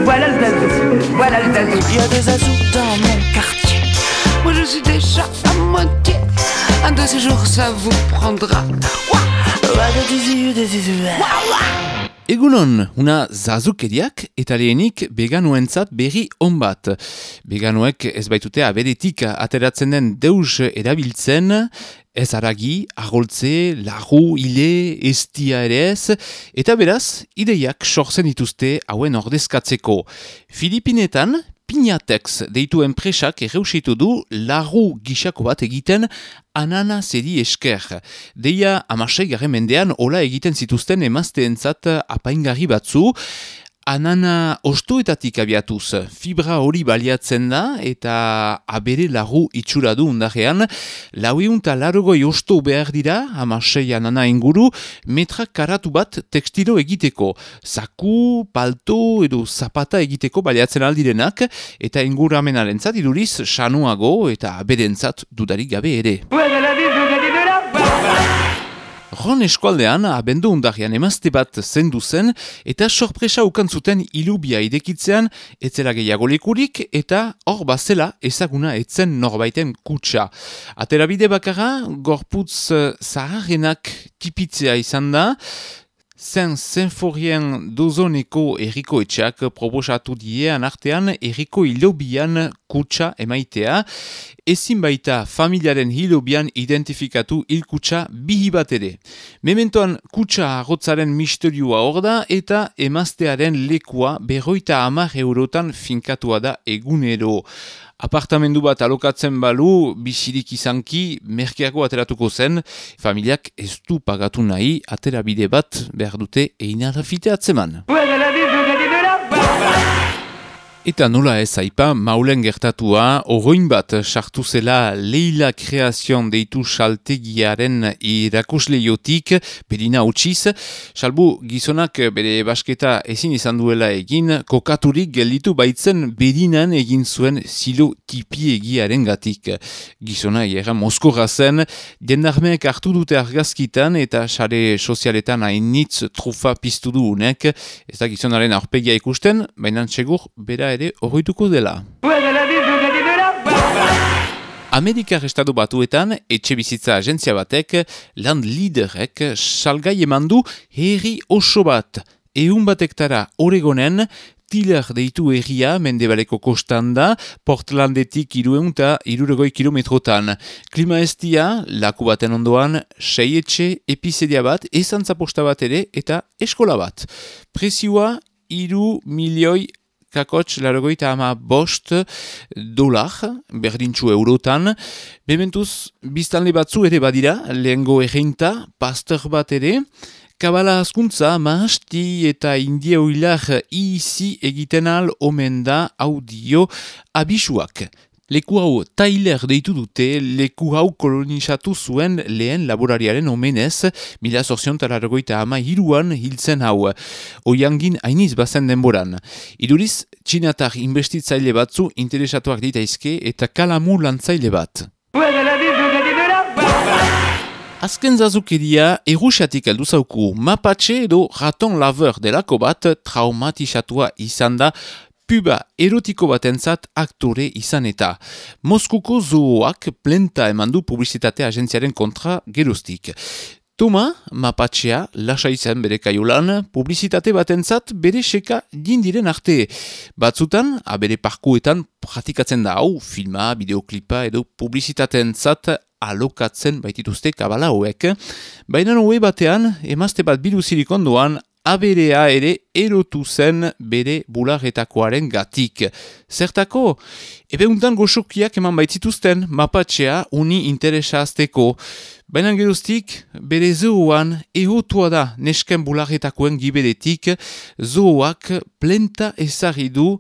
Voilà le zazou, voilà le zazou. Il y a des zazous dans mon quartier. Moi je suis déjà à moitié. Un de ces jours ça vous prendra. Egunon, una zazukeriak eta lehenik veganoentzat berri on bat. Veganoek ez baitute aberetik ateratzen den deus erabiltzen, ez haragi, agoltze, larru, ile, estia ere ez, eta beraz, ideiak sortzen dituzte hauen ordezkatzeko. Filipinetan, Pinatex deitu enpresak erreusitu du larru gisako bat egiten ananaseri esker. Deia 16. mendean hola egiten zituzten emazteentzat apaingarri batzu, anana ostoetatik abiatuz, fibra hori baliatzen da eta abere larru itxura du undarrean, 480 osto behar dira, 16 anana inguru, metra karatu bat tekstilo egiteko, zaku, palto edo zapata egiteko baliatzen aldirenak, eta inguramenarentzat iduriz sanuago eta aberentzat dudarik gabe ere. Ron eskualdean, abendu undarrian emazte bat zendu zen, eta sorpresa ukantzuten ilubia idekitzean, etzela gehiago lekurik, eta hor bazela ezaguna etzen norbaiten kutsa. Aterabide bakarra, gorputz zaharrenak tipitzea izan da, Zenforien dozoneko erriko etxeak proposatu diean artean erriko hilobian kutsa emaitea, ezin baita familiaren hilobian identifikatu hilkutsa bihi bat ere. Mementoan kutsa arrotzaren misterioa hor da eta emaztearen lekua 50 eurotan finkatua da egunero. Apartamendu bat alokatzen balu, bizirik izanki, merkeako ateratuko zen, familiak ez du pagatu nahi, aterabide bat behar dute einarafite atzeman. Eta nola ez aipa, maulen gertatua, oroin bat sartu zela Leila Kreazion deitu saltegiaren irakusleiotik, berina utxiz, salbu gizonak bere basketa ezin izan duela egin, kokaturik gelditu baitzen berinan egin zuen zilo tipiegiaren gatik. Gizona erra moskorra zen, jendarmeek hartu dute argazkitan eta sare sozialetan hainitz trufa piztu du unek, ez da gizonaren aurpegia ikusten, baina txegur bera ere horretuko dela. Amerikar estatu batuetan, etxe bizitza agentzia batek, land liderek salgai eman du herri oso bat. 100 hektara Oregonen, Tiller deitu herria mendebaleko kostan da, Portlandetik 260 kilometrotan. Klima estia, laku baten ondoan, 6 etxe, epizedia bat, ezantzaposta bat ere eta eskola bat. Prezioa, 3 milioi kakotx $85 berdintxu eurotan. Bementuz, biztanle batzu ere badira, lehengo erreinta, pastor bat ere, kabala askuntza, mahasti eta india oilar izi egiten al omen da audio abisuak. Leku hau Tyler deitu dute, leku hau kolonizatu zuen lehen laborariaren omenez, 1883an hiltzen hau. Oiangin hainiz bazen denboran. Iduriz, txinatar inbestitzaile batzu interesatuak ditaizke eta kalamu lantzaile bat. Azken zazukeria erusiatik heldu zauku, Mapache edo raton laver delako bat traumatizatua izan da, puba erotiko batentzat aktore izan eta. Moskuko zooak plenta emandu publizitate agentziaren kontra geroztik. Toma, Mapachea, lasa izan bere kaiolan, publizitate batentzat bere seka dindiren arte. Batzutan, abere parkuetan pratikatzen da hau, filma, bideoklipa edo publizitatentzat alokatzen baitituzte kabala hauek. Baina hoe batean, emazte bat biluzirik ondoan, aberea ere erotu zen bere bularretakoaren gatik. Zertako? Ebeuntan goxokiak eman baitzituzten Mapachea uni interesa azteko. Baina geroztik, bere zooan ehotua da nesken bularretakoen giberetik, zooak plenta ezarri du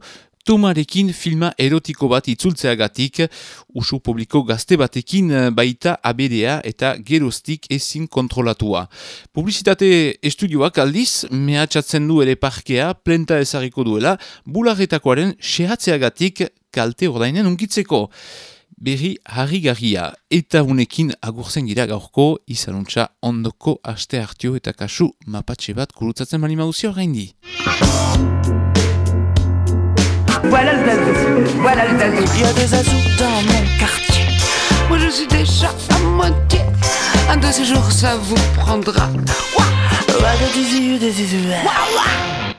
Tomarekin filma erotiko bat itzultzeagatik, usu publiko gazte batekin baita aberea eta geroztik ezin kontrolatua. Publizitate estudioak aldiz, mehatxatzen du ere parkea plenta ezarriko duela, bularretakoaren sehatzeagatik kalte ordainen unkitzeko. Berri harrigarria eta unekin agurtzen gira gaurko, izanuntza ondoko aste hartio eta kasu Mapatxe bat kurutzatzen bali mauzio gaindi. Voilà le zazou, voilà le zazou. Il y a des zazous dans mon quartier. Moi je suis déjà à moitié. Un de ces jours ça vous prendra. Ouah, ouah, des zizous, des zizous. Ouah, ouah.